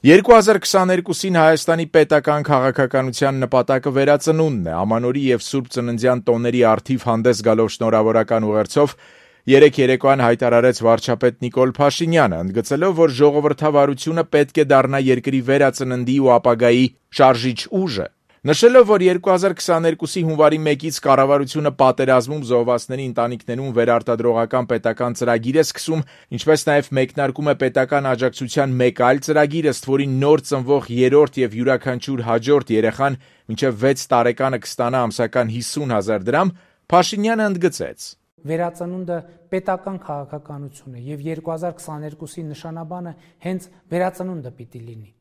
2022-ին Հայաստանի պետական քաղաքականության նպատակը վերածնունդն է, ամանորի եւ Սուրբ Ծննդյան տոների առթիվ հանդես գալով շնորհավորական ուղերձով երեկ երեկոյան հայտարարեց վարչապետ Նիկոլ Փաշինյանը, ընդգծելով, որ ժողովրդավարությունը պետք է դառնա երկրի վերածննդի ու ապագայի շարժիչ ուժը։ Նշելով, որ 2022-ի հունվարի 1-ից կառավարությունը պատերազմում զոհվածների ընտանիքներուն վերարտադրողական պետական ծրագիր է սկսում, ինչպես նաև մեկնարկում է պետական աջակցության մեկ այլ ծրագիր, ըստ որին նոր ծնվող երրորդ եւ յուրաքանչյուր հաջորդ երեխան մինչև 6 տարեկանը կստանա ամսական 50,000 դրամ, Փաշինյանը ընդգծեց. Վերածնունդը պետական քաղաքականություն է եւ 2022-ի նշանաբանը հենց վերածնունդը պիտի լինի։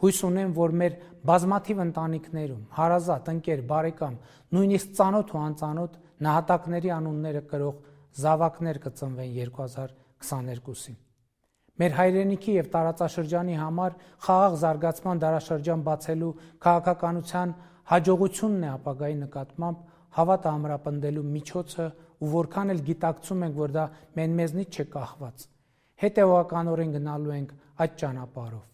Հույս ունեմ, որ մեր բազմաթիվ ընտանիքներում, հարազատ, ընկեր, բարեկամ, նույնիսկ ծանոթ ու անծանոթ նահատակների անունները կրող զավակներ կծնվեն 2022-ին։ Մեր հայրենիքի եւ տարածաշրջանի համար խաղաղ զարգացման դարաշրջան բացելու քաղաքականության հաջողությունն է ապագայի նկատմամբ հավատը ամրապնդելու միջոցը ու որքան էլ գիտակցում ենք, որ դա մեզնից չէ կախված։ Հետևողականորեն գնալու ենք այդ ճանապարհով։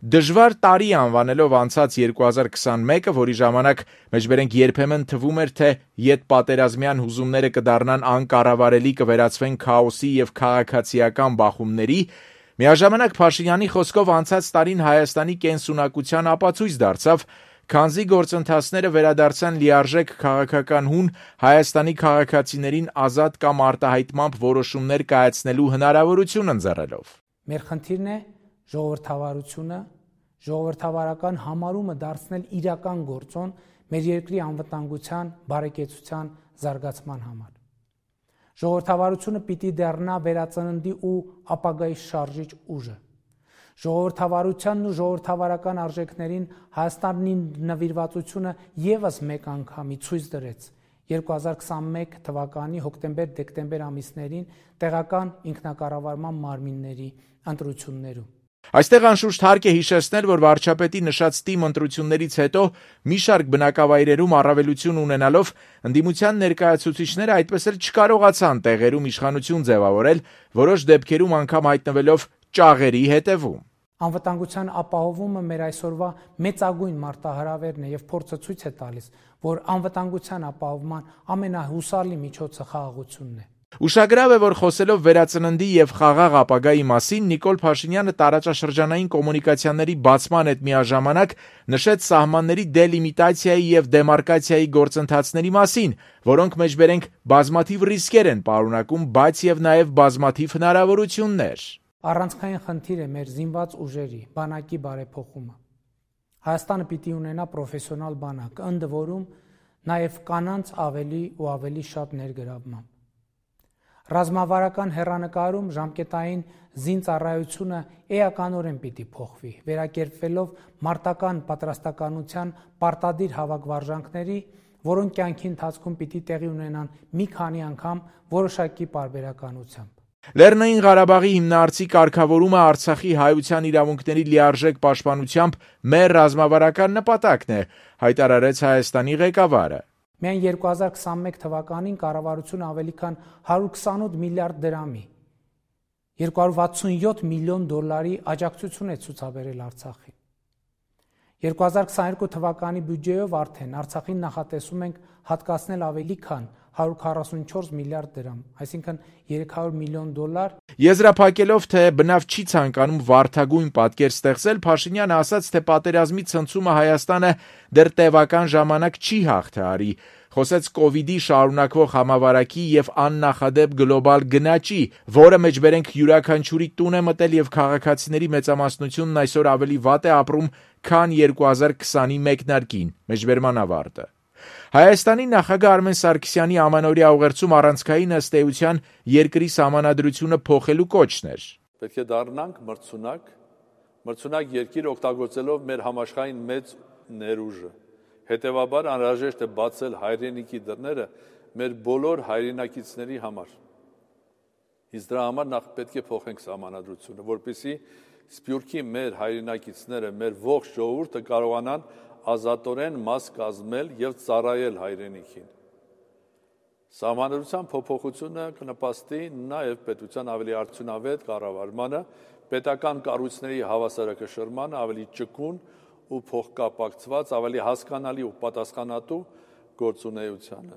Դժվար տարի անվանելով անցած 2021-ը, որի ժամանակ մեջբերենք երբեմն թվում էր, թե յետ պատերազմյան հուզումները կդառնան անկառավարելի, կվերածվեն քաոսի եւ քաղաքացիական բախումների, միաժամանակ Փաշինյանի խոսքով անցած տարին Հայաստանի կենսունակության ապացույց դարձավ, քանզի գործընթացները վերադարձան լիարժեք քաղաքական հուն Հայաստանի քաղաքացիներին ազատ կամ արտահայտմամբ որոշումներ կայացնելու հնարավորություն ընձեռելով։ Մեր խնդիրն է ժողովրդավարությունը, ժողովրդավարական համարումը դարձնել իրական գործոն մեր երկրի անվտանգության, բարեկեցության, զարգացման համար։ Ժողովրդավարությունը պիտի դառնա վերածննդի ու ապագայի շարժիչ ուժը։ Ժողովրդավարությանն ու ժողովրդավարական արժեքներին Հայաստանի նվիրվածությունը եւս մեկ անգամի ցույց դրեց 2021 թվականի հոկտեմբեր-դեկտեմբեր ամիսներին տեղական ինքնակառավարման մարմինների ընտրություններում։ Այստեղ անշուշտ հարկ է հիշեցնել, որ վարչապետի նշած թիմ ընտրություններից հետո մի շարք բնակավայրերում առավելություն ունենալով ընդդիմության ներկայացուցիչները այդպես էլ չկարողացան տեղերում իշխանություն ձևավորել, որոշ դեպքերում անգամ հայտնվելով ճաղերի հետևում։ Անվտանգության ապահովումը մեր այսօրվա մեծագույն մարտահրավերն է եւ փորձը ցույց է տալիս, որ անվտանգության ապահովման ամենահուսալի միջոցը խաղաղությունն է։ Ուշագրավ է, որ խոսելով վերածննդի եւ խաղաղ ապագայի մասին Նիկոլ Փաշինյանը տարածաշրջանային կոմունիկացիաների բացման հետ միաժամանակ նշեց սահմանների դելիմիտացիայի եւ դեմարկացիայի գործընթացների մասին, որոնք մեջբերենք բազմաթիվ ռիսկեր են պարունակում, բայց եւ նաեւ բազմաթիվ հնարավորություններ։ Առանցքային խնդիր է մեր զինված ուժերի բանակի բարեփոխումը։ Հայաստանը պիտի ունենա պրոֆեսիոնալ բանակ, ընդ որում նաեւ կանանց ավելի ու ավելի շատ ներգրավմամբ։ Ռազմավարական հեռանկարում ժամկետային զինծառայությունը էականորեն պիտի փոխվի, վերակերպվելով մարտական պատրաստականության պարտադիր հավաքվարժանքների, որոնք կյանքի ընթացքում պիտի տեղի ունենան մի քանի անգամ որոշակի պարբերականությամբ։ Լեռնային Ղարաբաղի հիմնարարցի կարգավորումը Արցախի հայության իրավունքների լիարժեք պաշտպանությամբ մեր ռազմավարական նպատակն է, հայտարարեց Հայաստանի ղեկավարը։ Միայն 2021 թվականին կառավարությունը ավելի քան 128 միլիարդ դրամի 267 միլիոն դոլարի աջակցություն է ցուցաբերել Արցախին։ 2022 թվականի բյուջեով արդեն Արցախին նախատեսում ենք հատկացնել ավելի քան 144 միլիարդ դրամ, այսինքն 300 միլիոն դոլար։ Եզրափակելով, թե բնավ չի ցանկանում վարդագույն պատկեր ստեղծել, Փաշինյանը ասաց, թե պատերազմի ցնցումը Հայաստանը դեռ տևական ժամանակ չի հաղթահարի։ Խոսեց կովիդի շարունակվող համավարակի եւ աննախադեպ գլոբալ գնաճի, որը մեջբերենք յուրաքանչյուրի տուն է մտել եւ քաղաքացիների մեծամասնությունն այսօր ավելի վատ է ապրում, քան 2020-ի մեկնարկին, մեջբերման ավարտը։ Հայաստանի նախագահ Արմեն Սարգսյանի ամանորյա ուղերձում առանցքային ըստ էության երկրի սահմանադրությունը փոխելու կոչն էր։ Պետք է դառնանք մրցունակ երկիր օգտագործելով մեր համաշխարհային մեծ ներուժը։ Հետևաբար անհրաժեշտ է բացել հայրենիքի դռները մեր բոլոր հայրենակիցների համար։ Իսկ դրա համար նախ պետք է փոխենք սահմանադրությունը, որպեսզի Սփյուռքի մեր հայրենակիցները, մեր ողջ ժողովուրդը կարողանան ազատորեն մաս կազմել եւ ծառայել հայրենիքին։ Սահմանադրության փոփոխությունը կնպաստի նաեւ պետության ավելի արդյունավետ կառավարմանը, պետական կառույցների հավասարակշռմանը ավելի ճկուն ու փոխկապակցված, ավելի հասկանալի ու պատասխանատու գործունեությանը։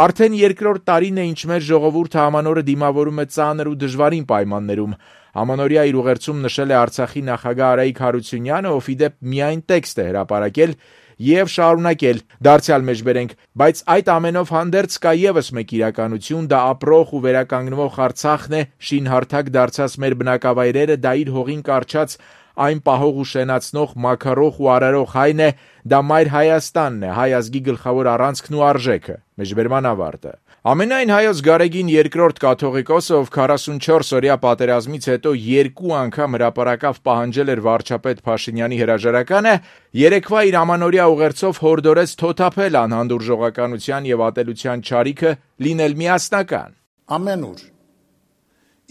Արդեն երկրորդ տարին է, ինչ մեր ժողովուրդը ամանորը դիմավորում է ծանր ու դժվարին պայմաններում։ Ամանորյա իր ուղերձում նշել է Արցախի նախագահ Արայիկ Հարությունյանը, ով ի դեպ միայն տեքստ է հրապարակել եւ շարունակել. դարձյալ մեջբերենք, բայց այդ ամենով հանդերձ կա եւս մեկ իրականություն, դա ապրող ու վերականգնվող Արցախն է, շինհարթակ դարձած մեր բնակավայրերը, դա իր հողին կառչած այն պահող ու շենացնող, մաքարող ու արարող հայն է, դա մայր Հայաստանն է, հայ ազգի գլխավոր առանցքն ու արժեքը։ Մեջբերման ավարտը։ Ամենայն հայոց Գարեգին II կաթողիկոսը, ով 44-օրյա պատերազմից հետո 2 անգամ հրապարակավ պահանջել էր վարչապետ Փաշինյանի հրաժարականը, երեկվա իր ամանորյա ուղերձով հորդորեց թոթափել անհանդուրժողականության եւ ատելության չարիքը, լինել միասնական։ Ամենուր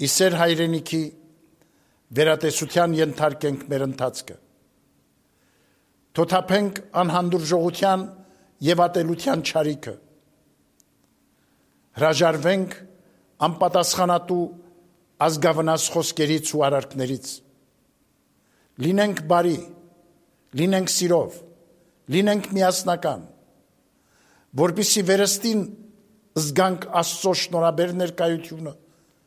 իսեր հայրենիքի վերատեսության ենթարկենք մեր ընթացքը։ Թոթափենք անհանդուրժողության եւ ատելության չարիքը։ Հրաժարվենք անպատասխանատու ազգավնաս խոսքերից ու արարքներից։ Լինենք բարի, լինենք սիրով, լինենք միասնական, որպեսզի վերստին զգանք Աստծո շնորհաբեր ներկայությունը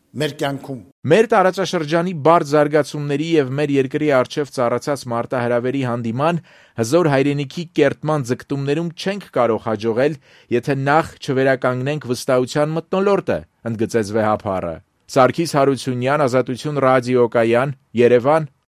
մեր կյանքում։ Մեր տարածաշրջանի բարդ զարգացումների եւ մեր երկրի առջև ծառացած մարտահրավերի հանդիման հզոր հայրենիքի կերտման ձգտումներում չենք կարող հաջողել, եթե նախ չվերականգնենք վստահության մթնոլորտը, ընդգծեց վեհափառը։ Սարգիս Հարությունյան, Ազատություն ռադիոկայան, Երևան,